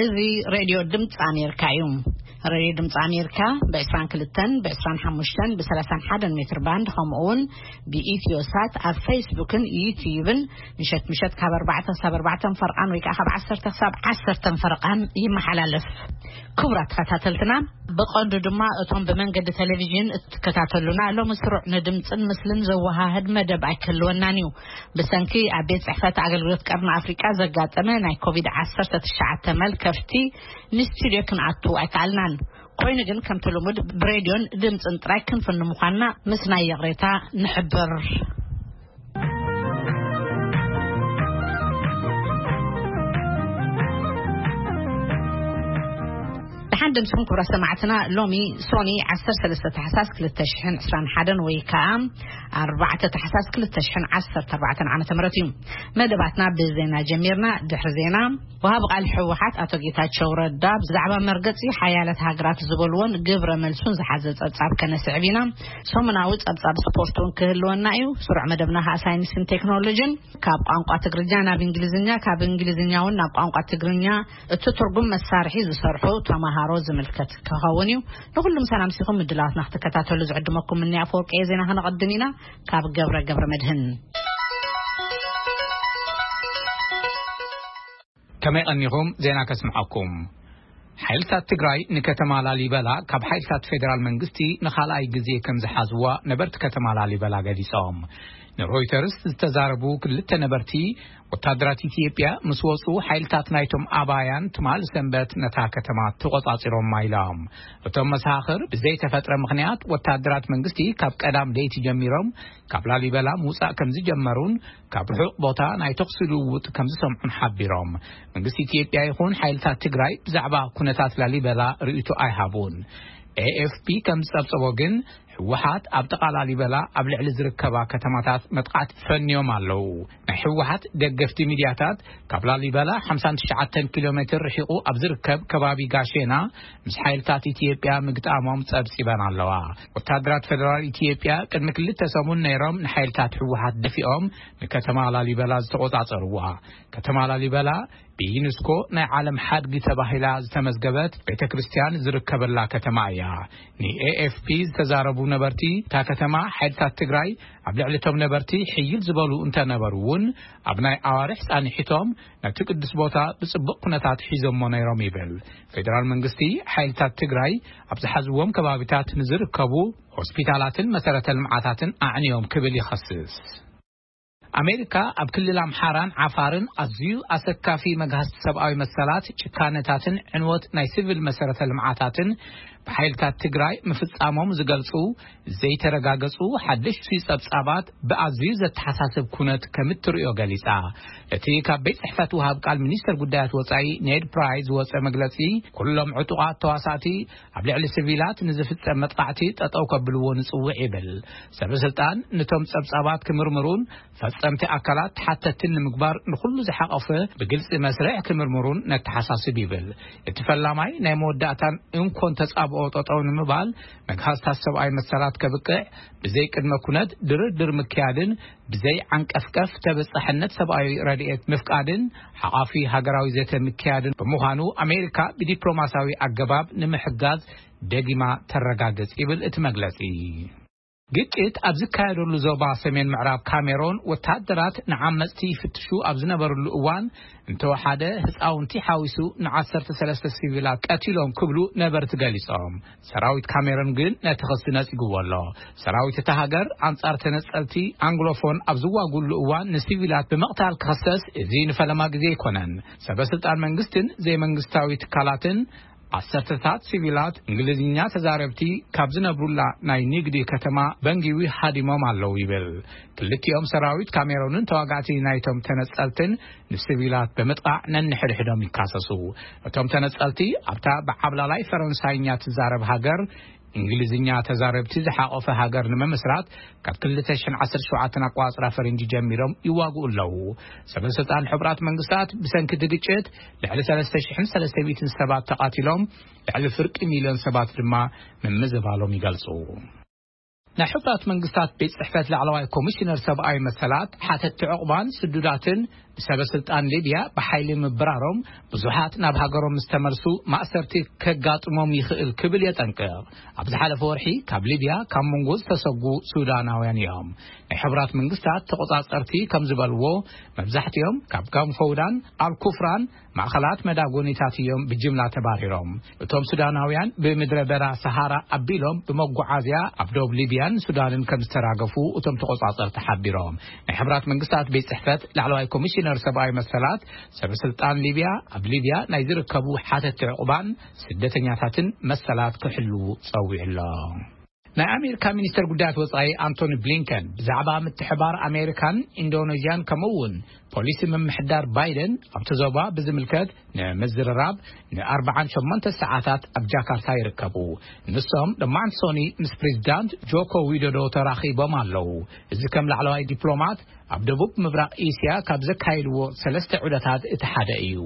እዚ ሬድዮ ድምፂ ኣሜሪካ እዩ። ሬድዮ ድምፂ ኣሜሪካ ብ22፣ ብ25፣ ብ31 ሜትር ባንድ፣ ከምኡ እውን ብኢትዮ ሳት ኣብ ፌስቡክን ዩትዩብን ምሸት ምሸት ካብ 4 ክሳብ 4 ፈርቓን ወይ ከዓ ካብ 10 ክሳብ 10 ፈርቓን ይመሓላለፍ። ክቡራት ተኸታተልትና፣ ብቐንዱ ድማ እቶም ብመንገዲ ቴሌቪዥን እትከታተሉና፣ ሎሚ ስሩዕ ንድምፅን ምስልን ዘወሃህድ መደብ ኣይክህልወናን እዩ። ብሰንኪ ኣብ ቤት ጽሕፈት ኣገልግሎት ቀርኒ ኣፍሪቃ ዘጋጠመ ናይ ኮቪድ-19 መልከፍቲ፣ ንስቱድዮ ክንኣቱ ኣይከኣልናን። ኮይኑ ግን፣ ከምቲ ልሙድ፣ ብሬድዮን ድምፅን ጥራይ ክንፍን ምዃንና ምስ ናይ ይቕሬታ ንሕብር። ደሓን ደምስኩም ክቡራት ሰማዕትና። ሎሚ ሶኒ 13 ታሕሳስ 2021 ወይ ከዓ 4 ታሕሳስ 2014 ዓመተ ምህረት እዩ። መደባትና ብዜና ጀሚርና። ድሕሪ ዜና፣ ወሃቢ ቃል ህወሓት ኣቶ ጌታቸው ረዳ ብዛዕባ መርገጺ ሓያለት ሃገራት ዝበልዎን ግብረ መልሱን ዝሓዘ ጸብጻብ ከነስዕብ ኢና። ሰሙናዊ ጸብጻብ ስፖርት እውን ክህልወና እዩ። ስሩዕ መደብና ከዓ ሳይንስን ቴክኖሎጂን፣ ካብ ቋንቋ ትግርኛ ናብ እንግሊዝኛ፣ ካብ እንግሊዝኛ እውን ናብ ቋንቋ ትግርኛ እቲ ትርጉም መሳርሒ ዝሰርሑ ተማሃሮ ዝምልከት ክኸውን እዩ። ንኹሉም ሰላም ሲኹም ምድላዋትና ክትከታተሉ ዝዕድመኩም እኒ ኣፈወርቂ እየ። ዜና ከነቐድም ኢና። ካብ ገብረ ገብረ መድህን። ከመይ ቀኒኹም? ዜና ከስምዓኩም። ሓይልታት ትግራይ ንከተማ ላሊበላ ካብ ሓይልታት ፌደራል መንግስቲ ንኻልኣይ ግዜ ከም ዝሓዝዋ ነበርቲ ከተማ ላሊበላ ገሊጾም። ንሮይተርስ ዝተዛረቡ ክልተ ነበርቲ፣ ወታደራት ኢትዮጵያ ምስ ወጹ፣ ሓይልታት ናይቶም ኣባያን ትማል ሰንበት ነታ ከተማ ተቖጻጺሮማ ኢሎም። እቶም መሳኽር፣ ብዘይተፈጥረ ምኽንያት ወታደራት መንግስቲ ካብ ቀዳም ለይቲ ጀሚሮም ካብ ላሊበላ ምውጻእ ከም ዝጀመሩን ካብ ርሑቕ ቦታ ናይ ተኹሲ ልውውጥ ከም ዝሰምዑን ሓቢሮም። መንግስቲ ኢትዮጵያ ይኹን ሓይልታት ትግራይ ብዛዕባ ኩነታት ላሊበላ ርእይቶ ኣይሃቡን። ኤ ኤፍ ፒ ከም ዝጸብጸቦ ግን፣ ህወሓት ኣብ ጥቓ ላሊበላ ኣብ ልዕሊ ዝርከባ ከተማታት መጥቃዕቲ ፈንዮም ኣለዉ። ናይ ህወሓት ደገፍቲ ሚድያታት፣ ካብ ላሊበላ 59 ኪሎ ሜትር ርሒቑ ኣብ ዝርከብ ከባቢ ጋሼና ምስ ሓይልታት ኢትዮጵያ ምግጣሞም ጸብጺበን ኣለዋ። ወታደራት ፌደራል ኢትዮጵያ ቅድሚ ክልተ ሰሙን ነይሮም ንሓይልታት ህወሓት ደፊኦም ንከተማ ላሊበላ ዝተቖጻጸርዋ። ከተማ ላሊበላ ብዩኔስኮ ናይ ዓለም ሓድጊ ተባሂላ ዝተመዝገበት ቤተ ክርስቲያን ዝርከበላ ከተማ እያ። ን ኤ ኤፍ ፒ ዝተዛረቡ ነበርቲ፣ እታ ከተማ ሓይልታት ትግራይ ኣብ ልዕሊ እቶም ነበርቲ ሕይል ዝበሉ እንተነበሩ እውን፣ ኣብ ናይ ኣዋርሕ ጻንሒቶም ነቲ ቅዱስ ቦታ ብጽቡቕ ኩነታት ሒዞሞ ነይሮም ይብል። ፌደራል መንግስቲ፣ ሓይልታት ትግራይ ኣብ ዝሓዝዎም ከባቢታት ንዝርከቡ ሆስፒታላትን መሰረተ ልምዓታትን ኣዕንዮም ክብል ይኸስስ። ኣሜሪካ ኣብ ክልል ኣምሓራን ዓፋርን ኣዝዩ ኣሰካፊ መግሃስቲ ሰብኣዊ መሰላት፣ ጭካነታትን ዕንወት ናይ ሲቪል መሰረተ ልምዓታትን ብሓይልታት ትግራይ ምፍጻሞም ዝገልጹ ዘይተረጋገጹ ሓደሽቲ ጸብጻባት ብኣዝዩ ዘተሓሳስብ ኩነት ከም እትርእዮ ገሊጻ። እቲ ካብ ቤት ጽሕፈት ወሃብ ቃል ሚኒስተር ጉዳያት ወጻኢ ኔድ ፕራይስ ዝወጸ መግለጺ፣ ኩሎም ዕጡቓት ተዋሳእቲ ኣብ ልዕሊ ሲቪላት ንዝፍጸም መጥቃዕቲ ጠጠው ከብልዎ ንጽውዕ ይብል። ሰበ ስልጣን ነቶም ጸብጻባት ክምርምሩን ፈጸምቲ ኣካላት ተሓተትትን ንምግባር ንኹሉ ዝሓቐፈ ብግልጺ መስርሕ ክምርምሩን ነተሓሳስብ ይብል። እቲ ፈላማይ ናይ መወዳእታን እንኮን ተጻብኦ ጠጠው ንምባል፣ መግሃስታት ሰብኣዊ መሰላት ከብቅዕ፣ ብዘይ ቅድመ ኩነት ድርድር ምክያድን ብዘይ ዓንቀፍቀፍ ተበጻሕነት ሰብኣዊ ረድኤት ምፍቃድን ሓቓፊ ሃገራዊ ዘተ ምክያድን ብምዃኑ፣ ኣሜሪካ ብዲፕሎማሲያዊ ኣገባብ ንምሕጋዝ ደጊማ ተረጋግጽ ይብል እቲ መግለጺ። ግጭት ኣብ ዝካየደሉ ዞባ ሰሜን ምዕራብ ካሜሮን፣ ወታደራት ንዓመጽቲ ይፍትሹ ኣብ ዝነበርሉ እዋን፣ እንተወሓደ ህጻውንቲ ሓዊሱ ን13 ሲቪላት ቀቲሎም ክብሉ ነበርቲ ገሊጾም። ሰራዊት ካሜሮን ግን ነቲ ክሲ ነጺግዎ ኣሎ። ሰራዊት እታ ሃገር ኣንጻር ተነጸልቲ ኣንግሎፎን ኣብ ዝዋጉሉ እዋን ንሲቪላት ብምቕታል ክኸሰስ፣ እዚ ንፈለማ ግዜ ኣይኮነን። ሰበ ስልጣን መንግስትን ዘይመንግስታዊ ትካላትን፣ ዓሰርተታት ሲቪላት እንግሊዝኛ ተዛረብቲ ካብ ዝነብሩላ ናይ ንግዲ ከተማ በንጊዊ ሃዲሞም ኣለዉ ይብል። ክልቲኦም ሰራዊት ካሜሮንን ተዋጋእቲ ናይቶም ተነጸልትን ንሲቪላት ብምጥቃዕ ነንሕድሕዶም ይካሰሱ። እቶም ተነጸልቲ ኣብታ ብዓብላላይ ፈረንሳይኛ ትዛረብ ሃገር እንግሊዝኛ ተዛረብቲ ዝሓቆፈ ሃገር ንምምስራት ካብ 2017 ኣቋጽራ ፈረንጂ ጀሚሮም ይዋግኡ ኣለዉ። ሰበ ስልጣን ሕቡራት መንግስታት ብሰንኪ እቲ ግጭት ልዕሊ 3,300 ሰባት ተቓቲሎም፣ ልዕሊ ፍርቂ ሚልዮን ሰባት ድማ ምምዝባሎም ይገልጹ። ናይ ሕቡራት መንግስታት ቤት ጽሕፈት ላዕለዋይ ኮሚሽነር ሰብኣዊ መሰላት፣ ሓተትቲ ዕቑባን ስዱዳትን ሰበ ስልጣን ሊብያ ብሓይሊ ምብራሮም ብዙሓት ናብ ሃገሮም ምስ ተመልሱ ማእሰርቲ ከጋጥሞም ይኽእል ክብል የጠንቅቕ። ኣብ ዝሓለፈ ወርሒ ካብ ሊብያ ካብ መንጎ ዝተሰጉ ሱዳናውያን እዮም። ናይ ሕቡራት መንግስታት ተቆጻጸርቲ ከም ዝበልዎ፣ መብዛሕትኦም ካብ ጋንፎውዳን፣ ኣልኩፍራን ማእኸላት መዳጎኒታት እዮም ብጅምላ ተባሪሮም። እቶም ሱዳናውያን ብምድረ በዳ ሰሃራ ኣቢሎም ብመጓዓዝያ ኣብ ዶብ ሊብያን ሱዳንን ከም ዝተራገፉ እቶም ተቆጻጸርቲ ሓቢሮም። ናይ ሕብራት መንግስታት ቤት ጽሕፈት ላዕለዋይ ኮሚሽነር ሰብኣዊ መሰላት፣ ሰበ ስልጣን ሊብያ ኣብ ሊብያ ናይ ዝርከቡ ሓተቲ ዕቑባን ስደተኛታትን መሰላት ክሕልዉ ጸዊዑ ኣሎ። ናይ ኣሜሪካ ሚኒስተር ጉዳያት ወጻኢ ኣንቶኒ ብሊንከን ብዛዕባ ምትሕባር ኣሜሪካን ኢንዶኔዥያን ከምኡ እውን ፖሊሲ ምምሕዳር ባይደን ኣብቲ ዞባ ብዝምልከት ንምዝርራብ ንኣርባዓን ሸሞንተ ሰዓታት ኣብ ጃካርታ ይርከቡ። ንሶም ሎማዕንቲ ሶኒ ምስ ፕሬዚዳንት ጆኮ ዊዶዶ ተራኺቦም ኣለዉ። እዚ ከም ላዕለዋይ ዲፕሎማት ኣብ ደቡብ ምብራቕ ኤስያ ካብ ዘካየድዎ ሰለስተ ዑደታት እቲ ሓደ እዩ።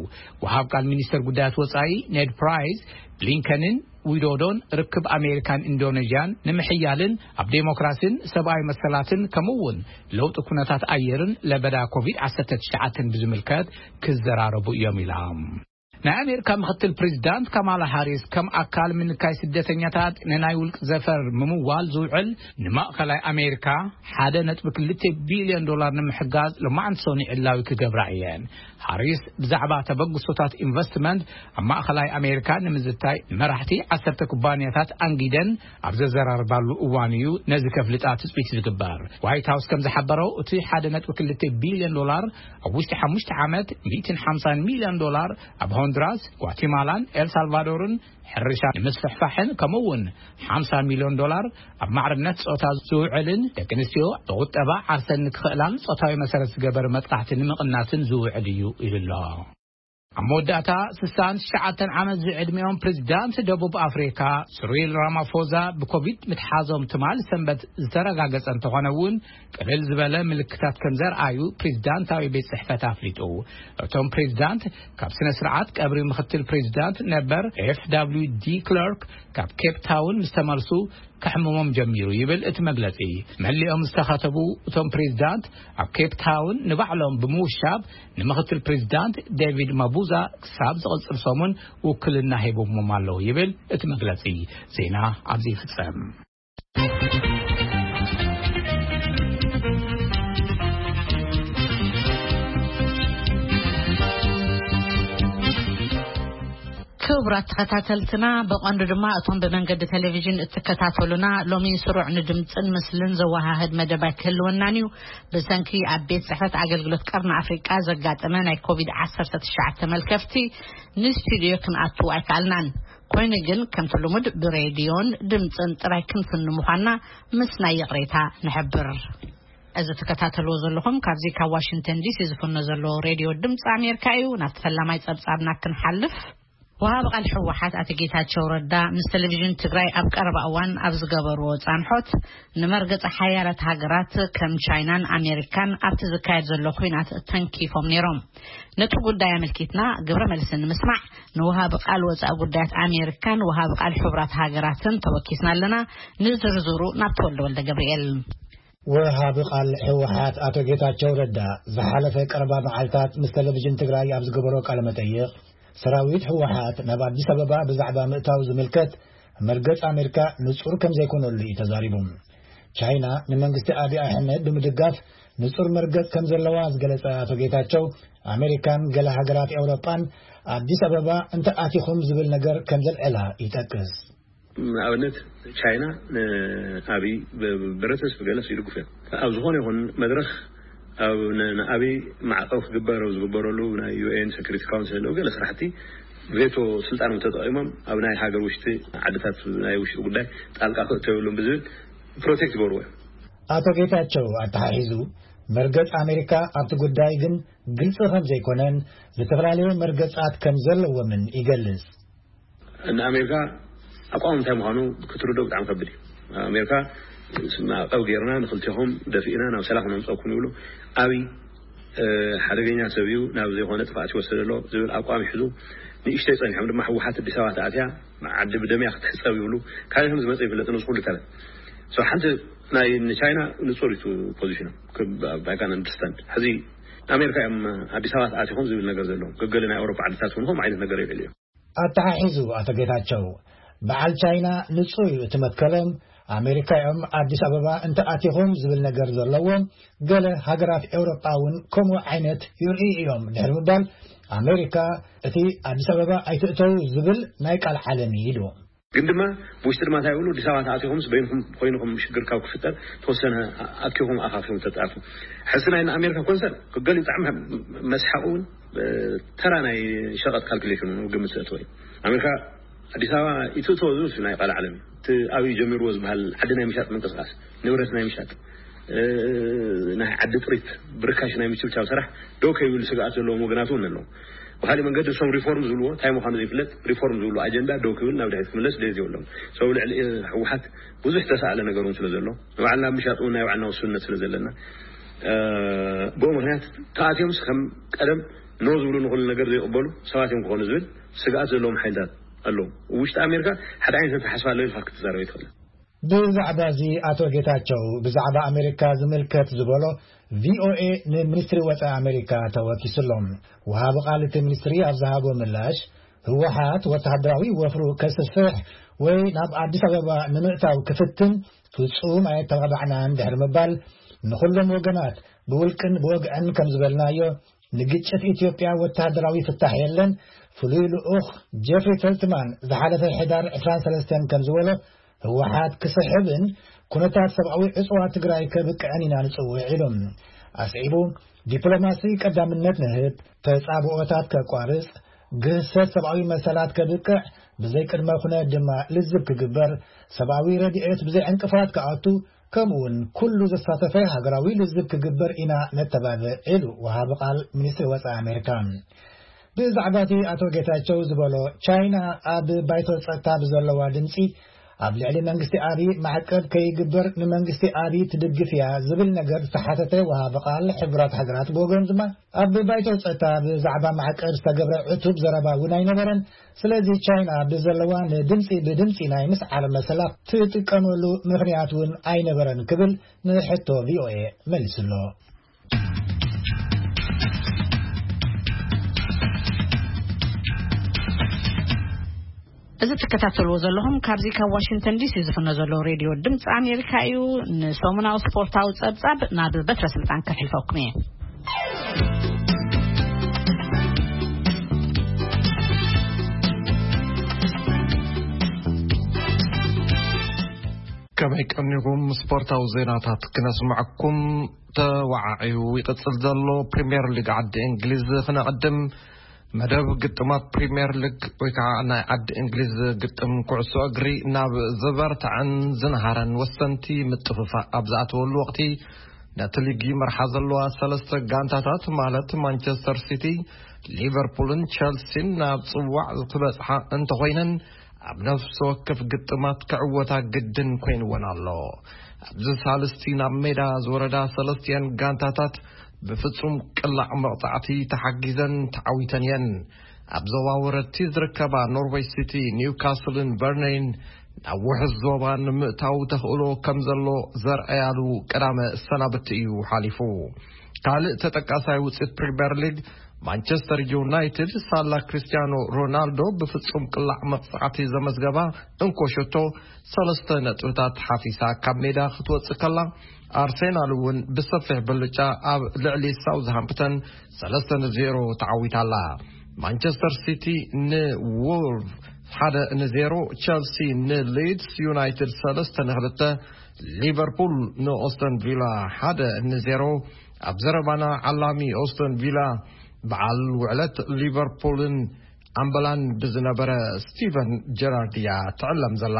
ወሃብ ቃል ሚኒስተር ጉዳያት ወጻኢ ኔድ ፕራይስ፣ ብሊንከንን ዊዶዶን ርክብ ኣሜሪካን ኢንዶኔዥያን ንምሕያልን ኣብ ዴሞክራሲን ሰብኣዊ መሰላትን ከምኡ እውን ለውጢ ኩነታት ኣየርን ለበዳ ኮቪድ ዓሰርተ ትሽዓተ ብዝምልከት ክዘራረቡ እዮም ኢላ። ናይ ኣሜሪካ ምክትል ፕሬዚዳንት ካማላ ሃሪስ ከም ኣካል ምንካይ ስደተኛታት ንናይ ውልቂ ዘፈር ምምዋል ዝውዕል ንማእኸላይ ኣሜሪካ ሓደ ነጥቢ ክልተ ቢልዮን ዶላር ንምሕጋዝ ሎማዕንቲ ሶኒ ዕላዊ ክገብራ እየን። ሃሪስ ብዛዕባ ተበግሶታት ኢንቨስትመንት ኣብ ማእኸላይ ኣሜሪካ ንምዝታይ ንመራሕቲ ዓሰርተ ኩባንያታት ኣንጊደን ኣብ ዘዘራርባሉ እዋን እዩ ነዚ ከፍልጣ ትፅቢት ዝግበር። ዋይት ሃውስ ከም ዝሓበረው እቲ ሓደ ነጥቢ ክልተ ቢልዮን ዶላር ኣብ ውሽጢ ሓሙሽተ ዓመት ሚእትን ሓምሳን ሚልዮን ዶላር ኣብ ሆንዱራስ፣ ጓቲማላን ኤልሳልቫዶርን ሕርሻ ንምስፍሕፋሕን ከምኡ እውን ሓምሳ ሚልዮን ዶላር ኣብ ማዕርነት ጾታ ዝውዕልን ደቂ ኣንስትዮ ብቁጠባ ዓርሰን ንክኽእላን ጾታዊ መሰረት ዝገበር መጥቃዕቲ ንምቕናስን ዝውዕል እዩ ኢሉ ኣሎ። ኣብ መወዳእታ ስሳን ትሽዓተን ዓመት ዝዕድሚኦም ፕሬዚዳንት ደቡብ ኣፍሪካ ስሪል ራማፎዛ ብኮቪድ ምትሓዞም ትማል ሰንበት ዝተረጋገጸ እንተኾነ እውን ቅልል ዝበለ ምልክታት ከም ዘርኣዩ ፕሬዚዳንታዊ ቤት ጽሕፈት ኣፍሊጡ። እቶም ፕሬዚዳንት ካብ ስነ ስርዓት ቀብሪ ምክትል ፕሬዚዳንት ነበር ኤፍ ደብሊው ዲ ክለርክ ካብ ኬፕ ታውን ምስ ተመልሱ ከሕምሞም ጀሚሩ ይብል እቲ መግለጺ። መሊኦም ዝተኸተቡ እቶም ፕሬዚዳንት ኣብ ኬፕ ታውን ንባዕሎም ብምውሻብ ንምክትል ፕሬዚዳንት ዴቪድ ማቡዛ ክሳብ ዝቕጽል ሰሙን ውክልና ሂቦሞም ኣለዉ ይብል እቲ መግለጺ። ዜና ኣብዚ ይፍጸም። ክቡራት ተኸታተልትና፣ ብቐንዱ ድማ እቶም ብመንገዲ ቴሌቪዥን እትከታተሉና፣ ሎሚ ስሩዕ ንድምፅን ምስልን ዘወሃህድ መደብ ኣይክህልወናን እዩ። ብሰንኪ ኣብ ቤት ጽሕፈት ኣገልግሎት ቀርኒ ኣፍሪቃ ዘጋጠመ ናይ ኮቪድ ዓሰርተ ትሽዓተ መልከፍቲ ንስቱድዮ ክንኣቱ ኣይከኣልናን። ኮይኑ ግን ከምቲ ልሙድ ብሬድዮን ድምፅን ጥራይ ክንፍን ምዃንና ምስናይ ይቕሬታ ንሕብር። እዚ ትከታተልዎ ዘለኹም ካብዚ ካብ ዋሽንግተን ዲሲ ዝፍኖ ዘሎ ሬድዮ ድምፂ ኣሜሪካ እዩ። ናብቲ ፈላማይ ጸብጻብና ክንሓልፍ፣ ወሃቢ ቃል ህወሓት ኣቶ ጌታቸው ረዳ ምስ ቴሌቪዥን ትግራይ ኣብ ቀረባ እዋን ኣብ ዝገበርዎ ጻንሖት፣ ንመርገጺ ሓያላት ሃገራት ከም ቻይናን ኣሜሪካን ኣብቲ ዝካየድ ዘሎ ኲናት ተንኪፎም ነይሮም። ነቲ ጉዳይ ኣመልኪትና ግብረ መልሲ ንምስማዕ ንወሃቢ ቃል ወጻኢ ጉዳያት ኣሜሪካን ወሃቢ ቃል ሕቡራት ሃገራትን ተወኪስና ኣለና። ንዝርዝሩ ናብ ተወልደ ወልደ ገብርኤል። ወሃቢ ቃል ህወሓት ኣቶ ጌታቸው ረዳ ዝሓለፈ ቀረባ መዓልታት ምስ ቴሌቪዥን ትግራይ ኣብ ዝገበሮ ቃለ መጠይቕ፣ ሰራዊት ህወሓት ናብ ኣዲስ ኣበባ ብዛዕባ ምእታው ዝምልከት መርገጽ ኣሜሪካ ንጹር ከም ዘይኮነሉ እዩ ተዛሪቡ። ቻይና ንመንግስቲ ኣብይ ኣሕመድ ብምድጋፍ ንጹር መርገጽ ከም ዘለዋ ዝገለጸ ኣቶ ጌታቸው፣ ኣሜሪካን ገለ ሃገራት ኤውሮጳን ኣዲስ ኣበባ እንተ ኣቲኹም ዝብል ነገር ከም ዘልዕላ ይጠቅስ። ንኣብነት ቻይና ንኣብይ ብ-፣ ብረተስ ብገለስ ይድግፉ እዮም። ኣብ ዝኾነ ይኹን መድረኽ ኣብ ን-፣ ንኣብይ ማዕቀብ ክግበር ኣብ ዝግበረሉ ናይ ዩ ኤን ሴኩሪቲ ካውንስል ገለ ስራሕቲ ቬቶ ስልጣኖም ተጠቒሞም ኣብ ናይ ሃገር ውሽጢ ዓድታት ናይ ውሽጢ ጉዳይ ጣልቃ ክእተው የብሉን ብዝብል ፕሮቴክት ይገብርዎ እዮም። ኣቶ ጌታቸው ኣተሓሒዙ፣ መርገጽ ኣሜሪካ ኣብቲ ጉዳይ ግን ግልጺ ከም ዘይኮነን ዝተፈላለየ መርገጻት ከም ዘለዎምን ይገልጽ። ንኣሜሪካ ኣቋም እንታይ ምዃኑ ክትርድኦ ብጣዕሚ ከብድ እዩ። ኣሜሪካ ማዕቀብ ጌርና ንክልቴኹም ደፊእና ናብ ሰላም ነምፀኩም ይብሉ። ኣብይ፣ እ፣ ሓደገኛ ሰብ እዩ፣ ናብ ዘይኮነ ጥፍኣት ይወስድ ኣሎ ዝብል ኣቋም ይሕዙ። ንእሽተይ ጸኒሖም ድማ ህወሓት ኣዲስ ኣበባ ተኣትያ ዓዲ ብደምያ ክትሕጸብ ይብሉ። ካልእ ከም ዝመጸ ይፍለጥ፣ ንሱ ኩሉ ይካላል። So ሓንቲ ናይ ንቻይና ንጹር እዩ ፖዚሽኖም፣ I can understand። ሕዚ ኣሜሪካ እዮም ኣዲስ ኣበባ ተኣቲኹም ዝብል ነገር ዘለዎም። ገገለ ናይ ኣውሮፓ ዓድታት እውን ከምኡ ዓይነት ነገር ይልዕሉ እዮም። ኣተሓሒዙ ኣቶ ጌታቸው፣ በዓል ቻይና ንጹር እዩ እቲ መትከሎም፣ ኣሜሪካ እዮም ኣዲስ ኣበባ እንተኣቲኹም ዝብል ነገር ዘለዎም፣ ገለ ሃገራት ኤውሮጳ እውን ከምኡ ዓይነት ይርእዩ እዮም ድሕሪ ምባል፣ ኣሜሪካ እቲ ኣዲስ ኣበባ ኣይትእተው ዝብል ናይ ቃል ዓለም እዩ ኢሉ። ግን ድማ ብውሽጢ ድማ እንታይ ይብሉ፣ ኣዲስ ኣበባ ተኣቲኹምስ በይንኹም ኮይንኹም ሽግር ካብ ክፍጠር ተወሰነ ኣኪኹም ኣኻኺኹም ተጣርፉ። ሕስናይ ንኣሜሪካ ኮንሰር ክገሊ ብጣዕሚ መስሓቕ እውን ተራ ናይ ሸቐጥ ካልኩሌሽን እውን ግምት ዘእተወ እዩ። ኣሜሪካ ኣዲስ ኣበባ ይትእተዎ ዝብል ናይ ቃል ዓለም እቲ ኣብዩ ጀሚርዎ ዝበሃል ዓዲ ናይ ምሻጥ ምንቅስቃስ፣ ንብረት ናይ ምሻጥ፣ ናይ ዓዲ ጥሪት ብርካሽ ናይ ምችብቻብ ስራሕ ደው ከይብል ስግኣት ዘለዎም ወገናት እውን ኣለዉ። ብካሊእ መንገዲ እሶም ሪፎርም ዝብልዎ እንታይ ምዃኑ ዘይፍለጥ ሪፎርም ዝብሉ ኣጀንዳ ደው ክብል ናብ ድሕሪት ክምለስ ድሌት የብሎም። ሰው ልዕሊ ህወሓት ብዙሕ ተሳእለ ነገር እውን ስለ ዘሎ ንባዕልና ምሻጥ እውን ናይ ባዕልና ውሱንነት ስለ ዘለና ብኡ ምክንያት ተኣትዮምስ ከም ቀደም ኖ ዝብሉ ንኹሉ ነገር ዘይቕበሉ ሰባት እዮም ክኾኑ ዝብል ስግኣት ዘለዎም ሓይልታት ኣለዉ። ውሽጢ ኣሜሪካ ሓደ ዓይነት ተሓስባ ኣሎ ኢልካ ክትዛረብ ይትኽእል። ብዛዕባ እዚ ኣቶ ጌታቸው ብዛዕባ ኣሜሪካ ዝምልከት ዝበሎ ቪኦኤ ንሚኒስትሪ ወፃኢ ኣሜሪካ ተወኪሱ ኣሎ። ወሃቢ ቃል እቲ ሚኒስትሪ ኣብ ዝሃቦ ምላሽ፣ ህወሓት ወተሃደራዊ ወፍሩ ከስፍሕ ወይ ናብ ኣዲስ ኣበባ ንምእታው ክፍትን ፍጹም ኣየተባባዕናን ድሕሪ ምባል፣ ንኹሎም ወገናት ብውልቅን ብወግዕን ከም ዝበልናዮ፣ ንግጭት ኢትዮጵያ ወተሃደራዊ ፍታሕ የለን። ፍሉይ ልኡኽ ጀፍሪ ፈልትማን ዝሓለፈ ሕዳር ዕስራን ሰለስተን ከም ዝበሎ፣ ህወሓት ክስሕብን ኩነታት ሰብኣዊ ዕፅዋ ትግራይ ከብቅዕን ኢና ንፅውዕ ኢሉ። ኣስዒቡ፣ ዲፕሎማሲ ቀዳምነት ንህብ፣ ተፃብኦታት ከቋርፅ፣ ግህሰት ሰብኣዊ መሰላት ከብቅዕ፣ ብዘይ ቅድመ ኩነት ድማ ልዝብ ክግበር፣ ሰብኣዊ ረድኤት ብዘይ ዕንቅፋት ክኣቱ፣ ከምኡውን ኩሉ ዘሳተፈ ሃገራዊ ልዝብ ክግበር ኢና ነተባብዕ ኢሉ ወሃቢ ቃል ሚኒስትሪ ወፃኢ ኣሜሪካ። ብዛዕባ እቲ ኣቶ ጌታቸው ዝበሎ፣ ቻይና ኣብ ባይቶ ጸጥታ ብዘለዋ ድምጺ ኣብ ልዕሊ መንግስቲ ኣቢ ማዕቀብ ከይግበር ንመንግስቲ ኣቢ ትድግፍ እያ ዝብል ነገር ዝተሓተተ ወሃቢ ቃል ሕቡራት ሃገራት ብወገኑ ድማ፣ ኣብ ባይቶ ጸጥታ ብዛዕባ ማዕቀብ ዝተገብረ ዕቱብ ዘረባ እውን ኣይነበረን። ስለዚ ቻይና ብዘለዋ ንድምጺ ብድምጺ ናይ ምስዓር መሰላ ትጥቀመሉ ምኽንያት እውን ኣይነበረን ክብል ንሕቶ ቪኦኤ መሊሱ ኣሎ። እዚ ትከታተልዎ ዘለኹም ካብዚ ካብ ዋሽንግተን ዲሲ ዝፍኖ ዘሎ ሬድዮ ድምፂ ኣሜሪካ እዩ። ንሰሙናዊ ስፖርታዊ ጸብጻብ ናብ በትረ ስልጣን ከሕልፈኩም እየ። ከመይ ቀኒኹም? ስፖርታዊ ዜናታት ክነስምዐኩም። ተወዓዒኡ ይቕጽል ዘሎ ፕሪምየር ሊግ ዓዲ እንግሊዝ ክነቐድም። መደብ ግጥማት ፕሪምየር ሊግ ወይ ከዓ ናይ ዓዲ እንግሊዝ ግጥም ኩዕሶ እግሪ ናብ ዝበርትዐን ዝነሃረን ወሰንቲ ምጥፍፋእ ኣብ ዝኣተወሉ ወቕቲ፣ ነቲ ሊግ ይመርሓ ዘለዋ ሰለስተ ጋንታታት ማለት ማንቸስተር ሲቲ፣ ሊቨርፑልን ቸልሲን ናብ ጽዋዕ ክበጽሓ እንተኾይነን፣ ኣብ ነፍሲ ወከፍ ግጥማት ክዕወታ ግድን ኮይንወን ኣሎ። ኣብዚ ሳልስቲ ናብ ሜዳ ዝወረዳ ሰለስቲአን ጋንታታት ብፍጹም ቅላዕ መቕጻዕቲ ተሓጊዘን ተዓዊተን እየን። ኣብ ዞባ ወረድቲ ዝርከባ ኖርዌይ ሲቲ፣ ኒውካስልን በርነይን ናብ ውሑስ ዞባ ንምእታው ተኽእሎ ከም ዘሎ ዘርኣያሉ ቀዳመ ሰናብቲ እዩ ሓሊፉ። ካልእ ተጠቃሳይ ውፅኢት ፕሪምየር ሊግ፣ ማንቸስተር ዩናይትድ ሳላ ክርስቲያኖ ሮናልዶ ብፍጹም ቅላዕ መቕጻዕቲ ዘመዝገባ እንኮ ሸቶ ሰለስተ ነጥብታት ሓፊሳ ካብ ሜዳ ክትወጽእ ከላ፣ ኣርሴናል እውን ብሰፊሕ ብልጫ ኣብ ልዕሊ ሳውዝሃምፕተን ሰለስተ ንዜሮ ተዓዊታ ኣላ። ማንቸስተር ሲቲ ንዎልቭ ሓደ ንዜሮ፣ ቸልሲ ንሊድስ ዩናይትድ ሰለስተ ንክልተ፣ ሊቨርፑል ንኦስተን ቪላ ሓደ ንዜሮ። ኣብ ዘረባና ዓላሚ ኦስተን ቪላ በዓል ውዕለት ሊቨርፑልን ኣምበላን ብዝነበረ ስቲቨን ጀራርድ እያ ትዕለም ዘላ።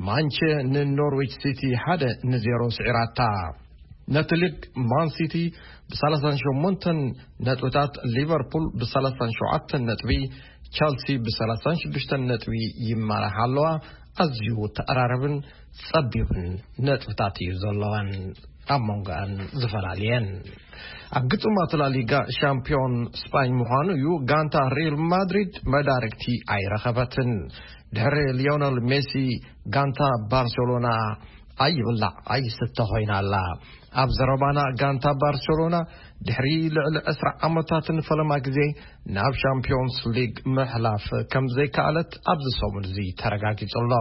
ማንቸ ንኖርዊች ሲቲ ሓደ ንዜሮ ስዒራታ። ነቲ ሊግ ማን ሲቲ ብ38 ነጥብታት፣ ሊቨርፑል ብ37 ነጥቢ፣ ቸልሲ ብ36 ነጥቢ ይመርሓ ኣለዋ። ኣዝዩ ተቐራረብን ጸቢብን ነጥብታት እዩ ዘለወን፣ ኣብ መንጎኣን ዝፈላለየን። ኣብ ግጥማት ላሊጋ ሻምፒዮን ስጳኝ ምዃኑ እዩ። ጋንታ ሪል ማድሪድ መዳርግቲ ኣይረኸበትን። ድሕሪ ሊዮነል ሜሲ፣ ጋንታ ባርሴሎና ኣይብላዕ ኣይስተ ኮይና ኣላ። ኣብ ዘረባና፣ ጋንታ ባርሴሎና ድሕሪ ልዕሊ ዕስራ ዓመታትን ፈለማ ግዜ ናብ ሻምፒዮንስ ሊግ ምሕላፍ ከም ዘይከኣለት ኣብዚ ሰሙን እዚ ተረጋጊጹ ኣሎ።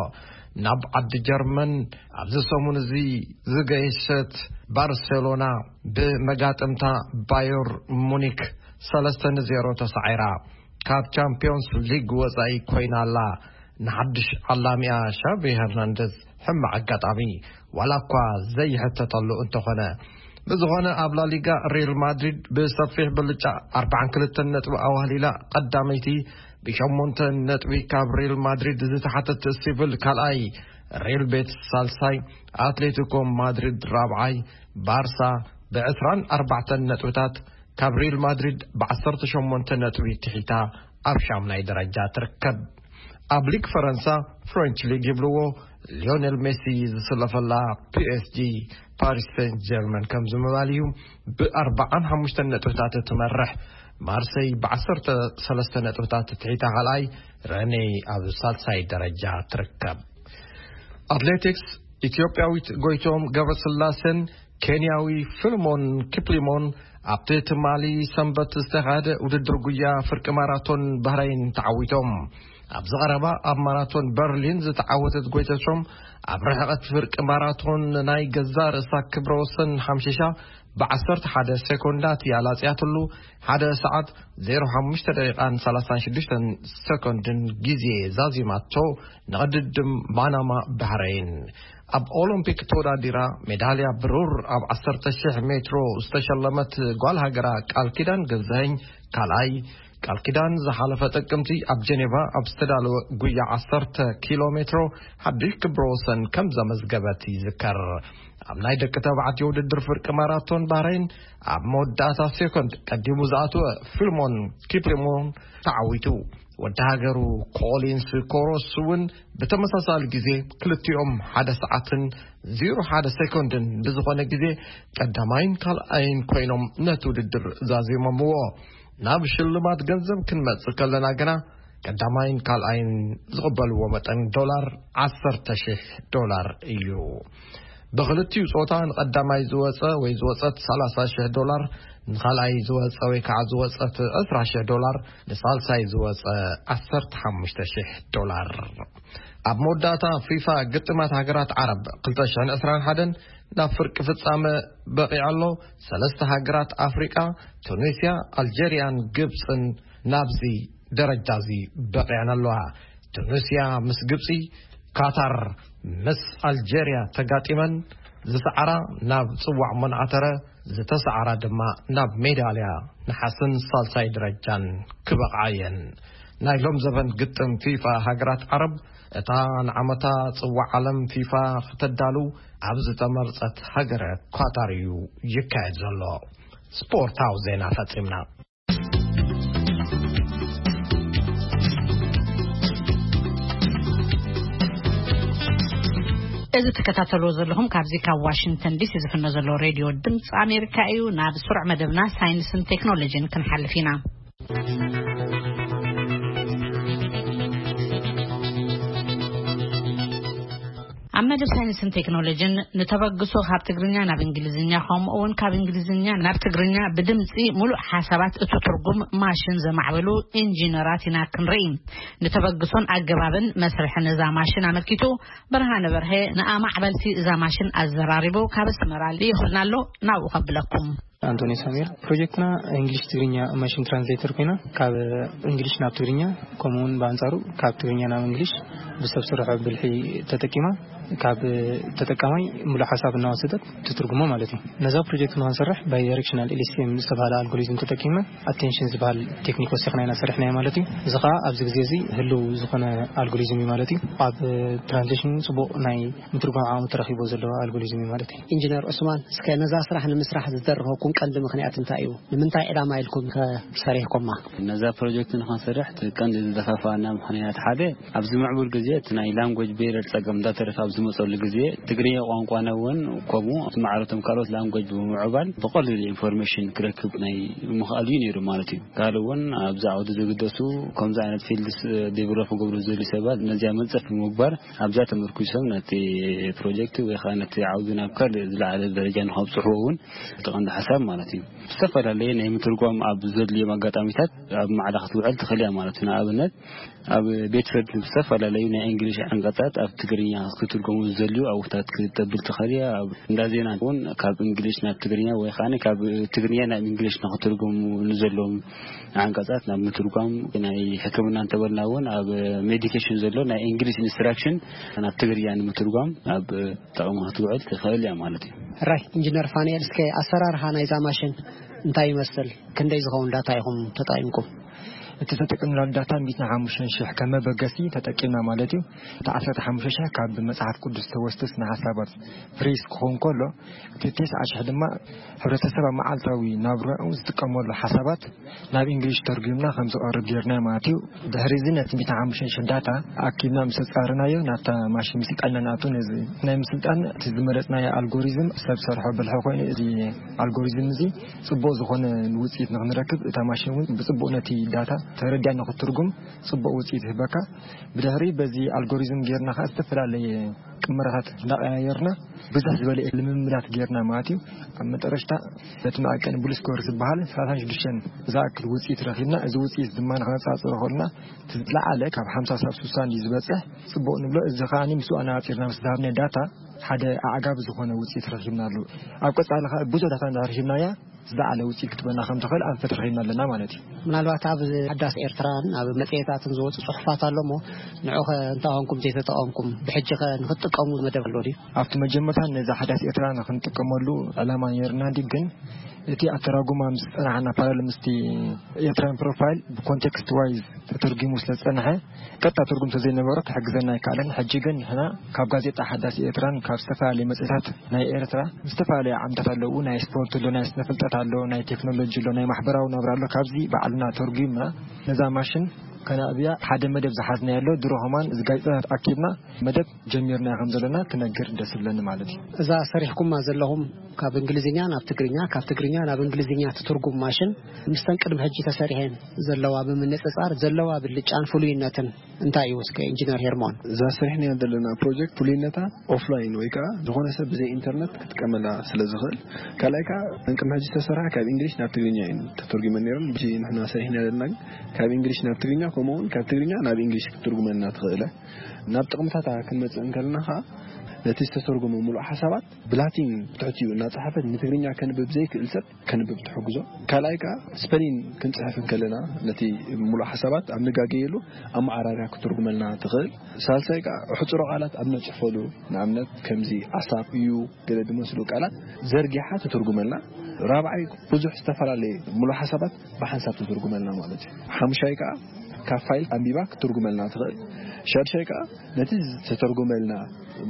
ናብ ዓዲ ጀርመን ኣብዚ ሰሙን እዚ ዝገየሸት ባርሴሎና ብመጋጥምታ ባየር ሙኒክ ሰለስተ ንዜሮ ተሳዒራ፣ ካብ ቻምፒዮንስ ሊግ ወጻኢ ኮይና ኣላ። ንሓድሽ ዓላሚኣ ሻቪ ሄርናንደዝ ሕማቕ ኣጋጣሚ፣ ዋላ እኳ ዘይሕተተሉ እንተኾነ። ብዝኾነ፣ ኣብ ላሊጋ ሪል ማድሪድ ብሰፊሕ ብልጫ ኣርባዓን ክልተን ነጥቢ ኣዋህሊላ ቀዳመይቲ፣ ብሸሞንተ ነጥቢ ካብ ሪል ማድሪድ ዝተሓተት ሲቪል ካልኣይ፣ ሪል ቤትስ ሳልሳይ፣ ኣትሌቲኮ ማድሪድ ራብዓይ፣ ባርሳ ብዕስራን ኣርባዕተን ነጥብታት ካብ ሪል ማድሪድ ብዓሰርተ ሸሞንተ ነጥቢ ትሒታ ኣብ ሻምናይ ደረጃ ትርከብ። ኣብ ሊግ ፈረንሳ፣ ፍሬንች ሊግ ይብልዎ፣ ሊዮኔል ሜሲ ዝስለፈላ ፒኤስጂ፣ ፓሪስ ሴንት ጀርመን ከምዚ ምባል እዩ ብኣርባዓን ሓሙሽተን ነጥብታት እትመርሕ። ማርሰይ ብዓሰርተ ሰለስተ ነጥብታት ትሒታ ካልኣይ፣ ረኔ ኣብ ሳልሳይ ደረጃ ትርከብ። ኣትሌቲክስ፣ ኢትዮጵያዊት ጎይቶም ገብረስላሴን ኬንያዊ ፊልሞን ኪፕሊሞን ኣብቲ ትማሊ ሰንበት ዝተኻየደ ውድድር ጉያ ፍርቂ ማራቶን ባህረይን ተዓዊቶም። ኣብዚ ቀረባ ኣብ ማራቶን በርሊን ዝተዓወተት ጎይተሾም፣ ኣብ ርሕቐት ፍርቂ ማራቶን ናይ ገዛ ርእሳ ክብረ ወሰን ሓምሺሻ ብዓሰርተ ሓደ ሴኮንዳት እያ ላጽያትሉ። ሓደ ሰዓት ዜሮ ሓሙሽተ ደቂቃን ሰላሳን ሽዱሽተን ሰኮንድን ግዜ ዛዚማቶ ንቕድድም ማናማ ባህረይን። ኣብ ኦሎምፒክ ተወዳዲራ ሜዳልያ ብሩር ኣብ ዓሰርተ ሺሕ ሜትሮ ዝተሸለመት ጓል ሃገራ ቃል ኪዳን ገዛኸኝ ካልኣይ፣ ቃል ኪዳን ዝሓለፈ ጥቅምቲ ኣብ ጀኔቫ ኣብ ዝተዳለወ ጉያ ዓሰርተ ኪሎ ሜትሮ ሓድሽ ክብረ ወሰን ከም ዘመዝገበት ይዝከር። ኣብ ናይ ደቂ ተባዕትዮ ውድድር ፍርቂ ማራቶን ባህረይን ኣብ መወዳእታ ሴኮንድ ቀዲሙ ዝኣተወ ፊልሞን ኪፕሊሞን ተዓዊቱ። ወዲ ሃገሩ ኮሊንስ ኮሮስ እውን ብተመሳሳሊ ግዜ ክልቲኦም ሓደ ሰዓትን ዜሮ ሓደ ሴኮንድን ብዝኾነ ግዜ ቀዳማይን ካልኣይን ኮይኖም ነቲ ውድድር ዛዚሞምዎ። ናብ ሽልማት ገንዘብ ክንመጽእ ከለና ግና ቀዳማይን ካልኣይን ዝቕበልዎ መጠን ዶላር ዓሰርተ ሺሕ ዶላር እዩ። ብኽልቲኡ ጾታ ንቐዳማይ ዝወጸ ወይ ዝወጸት ሰላሳ ሺሕ ዶላር፣ ንኻልኣይ ዝወጸ ወይ ከዓ ዝወጸት ዕስራ ሺሕ ዶላር፣ ንሳልሳይ ዝወጸ ዓሰርተ ሓሙሽተ ሺሕ ዶላር። ኣብ መወዳእታ ፊፋ ግጥማት ሃገራት ዓረብ ክልተ ሽሕን ዕስራን ሓደን ናብ ፍርቂ ፍጻመ በቒዑ ኣሎ። ሰለስተ ሃገራት ኣፍሪቃ፣ ቱኒስያ፣ ኣልጀርያን ግብጽን ናብዚ ደረጃ እዚ በቒዐን ኣለዋ። ቱኒስያ ምስ ግብጺ፣ ካታር ምስ ኣልጀርያ ተጋጢመን ዝሰዓራ ናብ ጽዋዕ መን ኣተረ፣ ዝተሰዓራ ድማ ናብ ሜዳልያ ነሓስን ሳልሳይ ደረጃን ክበቕዓ እየን። ናይ ሎም ዘበን ግጥም ፊፋ ሃገራት ዓረብ፣ እታ ንዓመታ ጽዋዕ ዓለም ፊፋ ክተዳሉ ኣብ ዝተመርጸት ሃገረ ኳታር እዩ ይካየድ ዘሎ። ስፖርታዊ ዜና ፈጺምና። እዚ ትከታተልዎ ዘለኹም ካብዚ ካብ ዋሽንግተን ዲሲ ዝፍኖ ዘሎ ሬድዮ ድምፂ ኣሜሪካ እዩ። ናብ ስሩዕ መደብና ሳይንስን ቴክኖሎጂን ክንሓልፍ ኢና። ኣብ መደብ ሳይንስን ቴክኖሎጂን፣ ንተበግሶ ካብ ትግርኛ ናብ እንግሊዝኛ፣ ከምኡ እውን ካብ እንግሊዝኛ ናብ ትግርኛ ብድምፂ ሙሉእ ሓሳባት እቲ ትርጉም ማሽን ዘማዕበሉ ኢንጂነራት ኢና ክንርኢ። ንተበግሶን ኣገባብን መስርሕን እዛ ማሽን ኣመልኪቱ፣ ብርሃነ በርሀ ንኣማዕበልቲ እዛ ማሽን ኣዘራሪቡ ካብ ኣስመራ ልኢኹልና ኣሎ። ናብኡ ከብለኩም። ኣንቶኒ ሳሚር፣ ፕሮጀክትና እንግሊሽ ትግርኛ ማሽን ትራንስሌተር ኮይና፣ ካብ እንግሊሽ ናብ ትግርኛ፣ ከምኡ እውን ብኣንጻሩ ካብ ትግርኛ ናብ እንግሊሽ ብሰብ ስርሖ ብልሒ ተጠቂማ፣ ካብ ተጠቃማይ ሙሉእ ሓሳብ እናወሰደት ትትርጉሞ ማለት እዩ። ነዛ ፕሮጀክት ንክንሰርሕ ባይ ዳይሬክሽናል ኤልኤስቲኤም ዝተባሃለ ኣልጎሪዝም ተጠቂምና፣ ኣቴንሽን ዝበሃል ቴክኒክ ወሲኽና ኢና ሰሪሕናዮ ማለት እዩ። እዚ ከዓ ኣብዚ ግዜ እዚ ህልው ዝኾነ ኣልጎሪዝም እዩ ማለት እዩ። ኣብ ትራንስሌሽን ጽቡቕ ናይ ምትርጓም ዓቕሚ ተረኺቦ ዘሎ ኣልጎሪዝም እዩ ማለት እዩ። ኢንጂነር ዑስማን፣ እስከ ነዛ ስራሕ ንምስራሕ ዝደረኸኩም ቀንዲ ምኽንያት እንታይ እዩ? ንምንታይ ዕላማ ኢልኩም ከ ሰሪሕኩማ? ነዛ ፕሮጀክት ንኽንሰርሕ እቲ ቀንዲ ዝደፋፋኣና ምኽንያት ሓደ፣ ኣብዚ ምዕቡል ግዜ እቲ ናይ ላንጉጅ ቤረር ጸገም እንዳተረፈ ኣብ ዝመፀሉ ግዜ ትግርኛ ቋንቋና እውን ከምኡ ማዕረቶም ካልኦት ላንጎጅ ብምዕባል ብቐሊሉ ኢንፎርሜሽን ክረክብ ናይ ምኽኣል እዩ ነይሩ ማለት እዩ። ካልእ እውን ኣብዚ ዓውዲ ዝግደሱ ከምዚ ዓይነት ፊልድስ ዴቨሎፕ ክገብሩ ዝደልዩ ሰባት ነዚኣ መንፀፍ ብምግባር ኣብዛ ተመርኩሶም ነቲ ፕሮጀክት ወይ ከዓ ነቲ ዓውዲ ናብ ካልእ ዝለዓለ ደረጃ ንኸብፅሕዎ እውን እቲ ቀንዲ ሓሳብ ማለት እዩ። ዝተፈላለየ ናይ ምትርጓም ኣብ ዘድልዮም ኣጋጣሚታት ኣብ ማዕዳ ክትውዕል ትኽእል እያ ማለት እዩ። ንኣብነት ኣብ ቤት ፍርዲ ዝተፈላለዩ ናይ እንግሊሽ ዓንቀጻት ኣብ ትግርኛ ክትትርጎሙ ዝደልዩ ኣውታት ክተብል ትኽእል እያ። ኣብ እንዳ ዜና እውን ካብ እንግሊሽ ናብ ትግርኛ ወይ ከዓ ካብ ትግርኛ ናብ እንግሊሽ ንክትርጎሙ ንዘለዎም ዓንቀጻት ናብ ምትርጓም ናይ ሕክምና እንተበልና እውን ኣብ ሜዲኬሽን ዘሎ ናይ እንግሊሽ ኢንስትራክሽን ናብ ትግርኛ ንምትርጓም ኣብ ጥቕሚ ክትውዕል ትኽእል እያ ማለት እዩ። ራይ ኢንጂነር ፋንኤል፣ እስከ ኣሰራርሓ ናይዛ ማሽን እንታይ ይመስል? ክንደይ ዝኸውን ዳታ ኢኹም ተጠቒምኩም? እቲ ተጠቂምናሉ ዳታ ሚእትን ሓሙሽተን ሽሕ ከም መበገሲ ተጠቂምና ማለት እዩ። እቲ ዓሰርተ ሓሙሽተ ሽሕ ካብ መጽሓፍ ቅዱስ ተወስደ ስነ ሓሳባት ፍሬዝ ክኸውን ከሎ፣ እቲ ተስዓ ሽሕ ድማ ሕብረተሰብ ኣብ መዓልታዊ ናብራኡ ዝጥቀመሉ ሓሳባት ናብ እንግሊሽ ተርጉምና ከም ዝቐርብ ጌርና ማለት እዩ። ድሕሪ እዚ ነቲ ሚእትን ሓሙሽተን ሽሕ ዳታ ኣኪብና ምስ ኣጻረናዮ ናብታ ማሽን ምስልጣንና ንኣቱ። ነዚ ናይ ምስልጣን እቲ ዝመረጽናዮ ኣልጎሪዝም ሰብ ሰርሖ ብልሒ ኮይኑ፣ እዚ ኣልጎሪዝም እዚ ጽቡቕ ዝኾነ ውጽኢት ንኽንረክብ፣ እታ ማሽን እውን ብጽቡቕ ነቲ ዳታ ተረዲኣ ንኽትርጉም ጽቡቕ ውጽኢት ይህበካ። ብድሕሪ በዚ ኣልጎሪዝም ጌርና ኸኣ ዝተፈላለየ ቅመራታት እንዳቐያየርና ብዙሕ ዝበለ ልምምዳት ጌርና ማለት እዩ። ኣብ መጠረሽታ በቲ መዐቀኒ ብሉስኮር ዝበሃል ሰላሳን ሽዱሽተን ዝኣክል ውጽኢት ረኺብና። እዚ ውጽኢት ድማ ንኸነጻጽሮ ከልና እቲ ዝለዓለ ካብ ሓምሳ ሳብ ስሳ እንድዩ ዝበጽሕ ጽቡቕ ንብሎ። እዚ ከኣ ምስኡ ኣነጻጺርና ምስ ዝሃብናዮ ዳታ ሓደ ኣዕጋቢ ዝኾነ ውጽኢት ረኺብናሉ። ኣብ ቀጻሊ ከኣ ብዙሕ ዳታ እንድሕር ሂብናያ ዝለዓለ ውጽኢት ክትበና ከም ትኽእል ኣንፈት ረኺብና ኣለና ማለት እዩ። ምናልባት ኣብ ሓዳስ ኤርትራን ኣብ መጽሔታትን ዝወጹ ጽሑፋት ኣሎ እሞ ንዑኸ እንታይ ኾንኩም ዘይተጠቐምኩም? ብሕጂ ኸ ንኽትጥቀሙ መደብ ኣሎ ድዩ? ኣብቲ መጀመርታ ነዛ ሓዳስ ኤርትራ ንኽንጥቀመሉ ዕላማ ነይርና ድዩ? ግን እቲ ኣተራጉማ ምስ ጸናሕና ፓራል ምስቲ ኤርትራን ፕሮፋይል ብኮንቴክስት ዋይዝ ተተርጉሙ ስለ ዝጸንሐ ቀጥታ ትርጉም ተዘይነበሮ ክሕግዘና ኣይከኣለን። ሕጂ ግን ንሕና ካብ ጋዜጣ ሓዳስ ኤርትራን ካብ ዝተፈላለዩ መጽሔታት ናይ ኤርትራ ዝተፈላለዩ ዓምታት ኣለዉ። ናይ ስፖርት ኣሎ፣ ናይ ስነ ፍልጠት ኣሎ፣ ናይ ቴክኖሎጂ ኣሎ፣ ናይ ማሕበራዊ ናብራ ኣሎ። ካብዚ ባዕልና ተርጉምና ነዛ ማሽን ከነዕብያ ሓደ መደብ ዝሓዝናዮ ኣሎ። ድሮ ከማን እዚ ጋዜጣታት ኣኪብና መደብ ጀሚርና ከም ዘለና ክነግር ደስ ይብለኒ ማለት እዩ። እዛ ሰሪሕኩማ ዘለኹም ካብ እንግሊዝኛ ናብ ትግርኛ፣ ካብ ትግርኛ ናብ እንግሊዝኛ ትትርጉም ማሽን ምስተን ቅድሚ ሕጂ ተሰሪሐን ዘለዋ ብምንጽጻር ዘለዋ ብልጫን ፍሉይነትን እንታይ እዩ እስከ ኢንጂነር ሄርሞን? እዛ ሰሪሕናዮ ዘለና ፕሮጀክት ፍሉይነታ ኦፍላይን ወይ ከዓ ዝኾነ ሰብ ብዘይ ኢንተርነት ክጥቀመላ ስለ ዝኽእል፣ ካልኣይ ከዓ ቅድሚ ሕጂ ዝተሰርሓ ካብ እንግሊሽ ናብ ትግርኛ እዩ ተተርጉመን ነይረን። ሕጂ ንሕና ሰሪሕና ዘለና ግን ካብ እንግሊሽ ናብ ትግርኛ፣ ከምኡ እውን ካብ ትግርኛ ናብ እንግሊሽ ክትትርጉመልና ትኽእለ። ናብ ጥቕምታታ ክንመጽእ እንከለና ከዓ ነቲ ዝተተርጎመ ሙሉእ ሓሳባት ብላቲን ብትሕቲኡ እናጸሓፈት ንትግርኛ ከንብብ ዘይክእል ሰብ ከንብብ ትሕግዞ። ካልኣይ ከዓ ስፐሊን ክንጽሕፍ እንከለና ነቲ ሙሉእ ሓሳባት ኣብ ንጋገየሉ ኣመዓራርያ ክትትርጉመልና ትኽእል። ሳልሳይ ከዓ ሕጹሮ ቃላት ኣብ ነጽሕፈሉ ንኣብነት ከምዚ ኣሳብ እዩ ገለ ዝመስሉ ቃላት ዘርጊሓ ትትርጉመልና። ራብዓይ ብዙሕ ዝተፈላለየ ሙሉእ ሓሳባት ብሓንሳብ ትትርጉመልና ማለት እዩ። ሓሙሻይ ከዓ ካብ ፋይል ኣንቢባ ክትትርጉመልና ትኽእል። ሻድሻይ ከዓ ነቲ ዝተተርጎመልና